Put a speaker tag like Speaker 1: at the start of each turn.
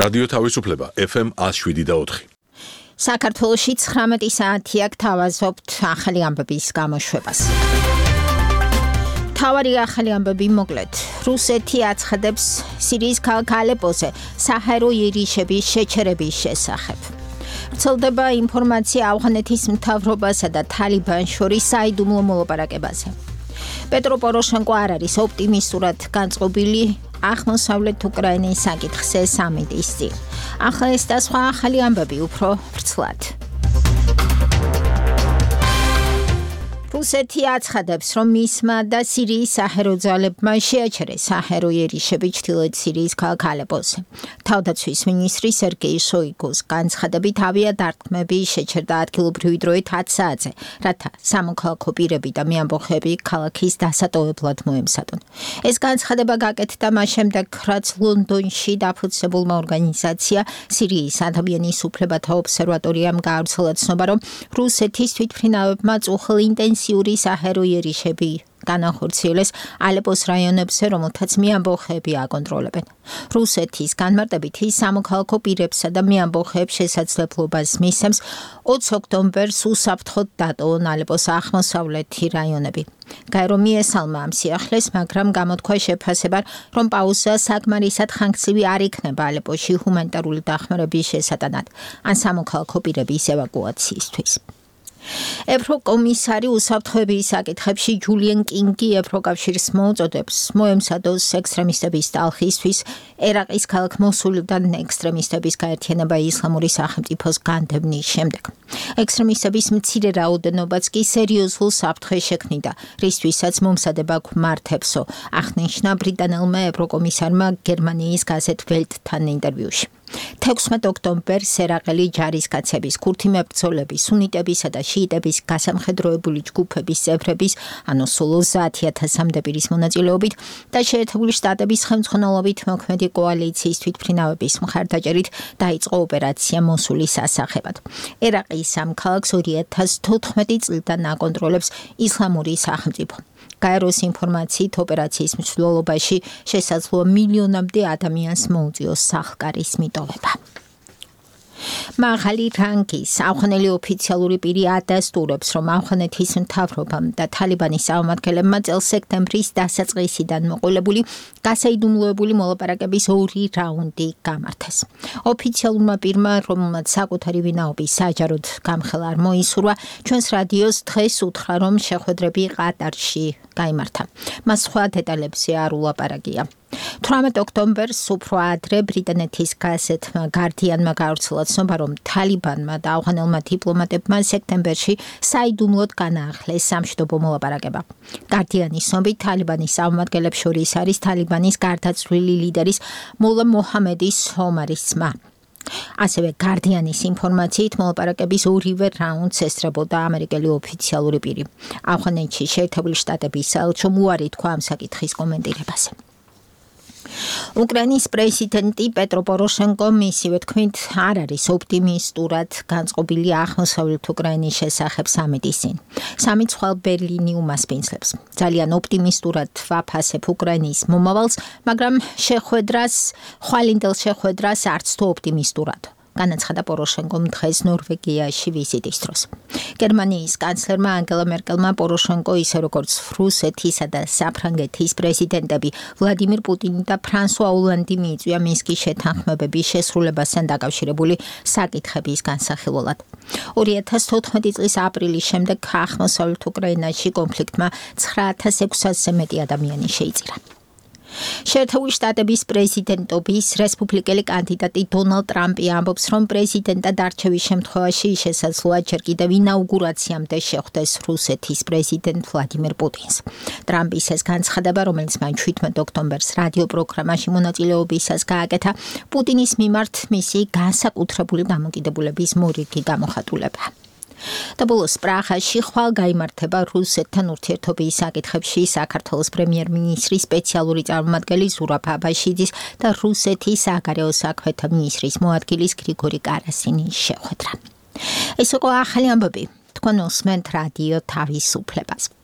Speaker 1: რადიო თავისუფლება FM 107.4.
Speaker 2: საქართველოში 19 საათია გთავაზობთ ახალი ამბების გამოშვებას. თავარი ახალი ამბები მოკლედ. რუსეთი აცხადებს სირიის ქალაქ ალეპოზე საჰაერო იერიშების შეჩერების შესახებ. ვრცელდება ინფორმაცია ავღანეთის მთავრობასა და თალიბანს შორის საიდუმლო მოლაპარაკებაზე. პეტრო პოროშენკო არ არის ოპტიმისტურად განწყობილი აღმოსავლეთ უკრაინის საკითხზე სამიტის წინ. ახლა ეს და სხვა ახალი ამბები უფრო ვრცლად. რუსეთი აცხადებს, რომ მისმა და სირიის საჰაერო ძალებმა შეაჩერეს საჰაერო იერიშები ჩრდილოეთ სირიის ქალაქ ალეპოზე. თავდაცვის მინისტრი სერგეი შოიგუს განცხადებით ავიადარტყმები შეჩერდა ადგილობრივი დროით 10 საათზე, რათა სამოქალაქო პირები და მეამბოხები ქალაქის დასატოვებლად მოემზადონ. ეს განცხადება გაკეთდა მას შემდეგ, რაც ლონდონში დაფუძნებულმა ორგანიზაცია სირიის ადამიანის უფლებათა ობსერვატორიამ გაავრცელა ცნობა, რომ რუსეთის თვითმფრინავებმა წუხელ ინტენსიური საჰაერო იერიშები განახორციელეს ალეპოს რაიონებზე, რომელთაც მეამბოხეები აკონტროლებენ. რუსეთის განმარტებით ის სამოქალაქო პირებსა და მეამბოხეებს შესაძლებლობას მისცემს 20 ოქტომბერს უსაფრთხოდ დატოვონ ალეპოს აღმოსავლეთი რაიონები. გაერო მიესალმა ამ სიახლეს, მაგრამ გამოთქვა შეფასებად, რომ პაუზა საკმარისად ხანგრძლივი არ იქნება ალეპოში ჰუმანიტარული დახმარების შესატანად ან სამოქალაქო პირების ევაკუაციისთვის. ევროკომისარი უსაფრთხოების საკითხებში ჯულიან კინგი ევროკავშირს მოუწოდებს მოემზადოს ექსტრემისტების ტალხისთვის ერაყის ქალაქ მოსულიდან ექსტრემისტების გაერთიანება ისლამური სახელმწიფოს განდევნის შემდეგ. ექსტრემისტების მცირე რაოდენობაც კი სერიოზულ საფრთხეს შექმნიდა, რისთვისაც მომზადება გვმართებსო, აღნიშნა ბრიტანელმა ევროკომისარმა გერმანიის გაზეთ ველტთან ინტერვიუში. 16 ოქტომბერს ერაყელი ჯარისკაცების, ქურთი მებრძოლების, სუნიტებისა და შიიტების გასამხედროებული ჯგუფების წევრების, ანუ სულ 30,000-მდე პირის მონაწილეობით და შეერთებული შტატების ხელმძღვანელობით მოქმედი კოალიციის თვითმფრინავების მხარდაჭერით დაიწყო ოპერაცია მოსულის ასახებად. ერაყის ამ ქალაქს 2014 წლიდან აკონტროლებს ისლამური სახელმწიფო. გაეროს ინფორმაციით ოპერაციის მსვლელობაში შესაძლოა მილიონამდე ადამიანს მოუწიოს სახლკარის მიტოვება. მაღალი რანგის ავღანელი ოფიციალური პირი ადასტურებს, რომ ავღანეთის მთავრობამ და თალიბანის წარმომადგენლებმა წელს სექტემბრის დასაწყისიდან მოყოლებული გასაიდუმლოებული მოლაპარაკების 2 რაუნდი გამართეს. ოფიციალურმა პირმა, რომელმაც საკუთარი ვინაობის საჯაროდ გამხელა არ მოისურვა, ჩვენს რადიოს დღეს უთხრა, რომ შეხვედრები ყატარში გაიმართა. მას სხვა დეტალებზე არ ულაპარაკია. 18 ოქტომბერს უფრო ადრე ბრიტანეთის გაზეთმა Guardian-მა გაავრცელა ცნობა, რომ თალიბანმა და ავღანელმა დიპლომატებმა სექტემბერში საიდუმლოდ განაახლეს სამშვიდობო მოლაპარაკება. Guardian-ის ცნობით, თალიბანის წარმომადგენლებს შორის არის თალიბანის გარდაცვლილი ლიდერის მოლა მოჰამედის ომარის ძმა. ასევე Guardian-ის ინფორმაციით მოლაპარაკების 2-ვე რაუნდს ესწრებოდა ამერიკელი ოფიციალური პირი. ავღანეთში შეერთებული შტატების საელჩომ უარი თქვა ამ საკითხის კომენტირებაზე. უკრაინის პრეზიდენტი პეტრო პოროშენკო მისივე თქმით არ არის ოპტიმისტურად განწყობილი აღმოსავლეთ უკრაინის შესახებ სამიტის წინ. სამიტს ხვალ ბერლინი უმასპინძლებს. ძალიან ოპტიმისტურად ვაფასებ უკრაინის მომავალს, მაგრამ ხვალინდელ შეხვედრას არც თუ ოპტიმისტურად. განაცხადა პოროშენკომ დღეს ნორვეგიაში ვიზიტის დროს. გერმანიის კანცლერმა ანგელა მერკელმა პოროშენკო ისე როგორც რუსეთისა და საფრანგეთის პრეზიდენტები ვლადიმირ პუტინი და ფრანსუა ოლანდი მიიწვია მინსკის შეთანხმებების შესრულებასთან დაკავშირებული საკითხების განსახილველად. 2014 წლის აპრილის შემდეგ აღმოსავლეთ უკრაინაში კონფლიქტმა 9,600-ზე მეტი ადამიანი შეიწირა. შეერთებული შტატების პრეზიდენტობის რესპუბლიკელი კანდიდატი დონალდ ტრამპი ამბობს, რომ პრეზიდენტად არჩევის შემთხვევაში შესაძლოა ჯერ კიდევ ინაუგურაციამდე შეხვდეს რუსეთის პრეზიდენტ ვლადიმირ პუტინს. ტრამპის ეს განცხადება, რომელიც მან 17 ოქტომბერს რადიო პროგრამაში მონაწილეობისას გააკეთა, პუტინის მიმართ მისი განსაკუთრებული დამოკიდებულების მორიგი გამოხატულება. და ბოლოს პრაღაში ხვალ გაიმართება რუსეთთან ურთიერთობის საკითხებში საქართველოს პრემიერ-მინისტრის სპეციალური წარმომადგენელი ზურაბ აბაშიძის და რუსეთის საგარეო საქმეთა მინისტრის მოადგილის გრიგორი კარასინის შეხვედრა. ეს იყო ახალი ამბები. თქვენ უსმენთ რადიო თავისუფლებას.